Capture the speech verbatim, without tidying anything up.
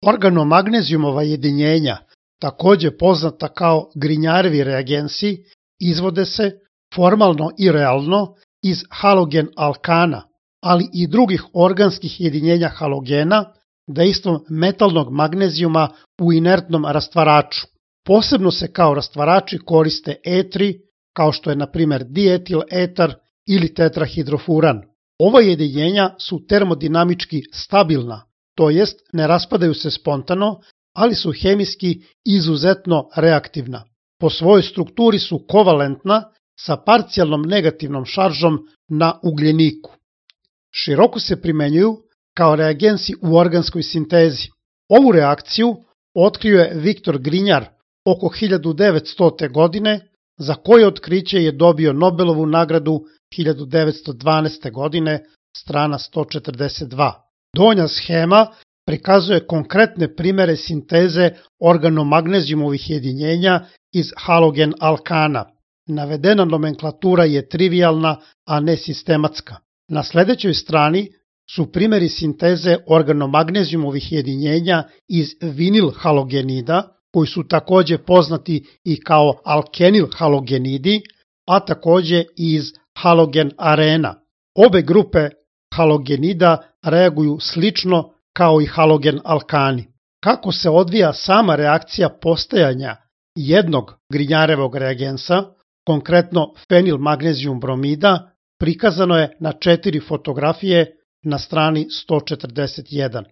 Organomagnezijumova jedinjenja, takođe poznata kao Grignarjevi reagensi, izvode se formalno i realno iz halogen alkana, ali i drugih organskih jedinjenja halogena, dejstvom metalnog magnezijuma u inertnom rastvaraču. Posebno se kao rastvarači koriste etri, kao što je na primer dietil etar ili tetrahidrofuran. Ova jedinjenja su termodinamički stabilna, to jest ne raspadaju se spontano, ali su hemijski izuzetno reaktivna. Po svojoj strukturi su kovalentna sa parcijalnom negativnom šaržom na ugljeniku. Široko se primenjuju kao reagensi u organskoj sintezi. Ovu reakciju otkrio je Viktor Grignard oko hiljadu devetstote. godine, za koje otkriće je dobio Nobelovu nagradu hiljadu devetsto dvanaeste. godine, strana sto četrdeset dva. Donja schema prikazuje konkretne primere sinteze organomagnezijumovih jedinjenja iz halogen alkana. Navedena nomenklatura je trivialna, a ne sistematska. Na sledećoj strani su primeri sinteze organomagnezijumovih jedinjenja iz vinil halogenida, koji su takođe poznati i kao alkenil halogenidi, a takođe iz halogen arena. Obe grupe halogenida reaguju slično kao i halogen alkani. Kako se odvija sama reakcija postajanja jednog Grignarjevog reagensa, konkretno fenil magnezijum bromida, prikazano je na četiri fotografije na strani sto četrdeset jedan.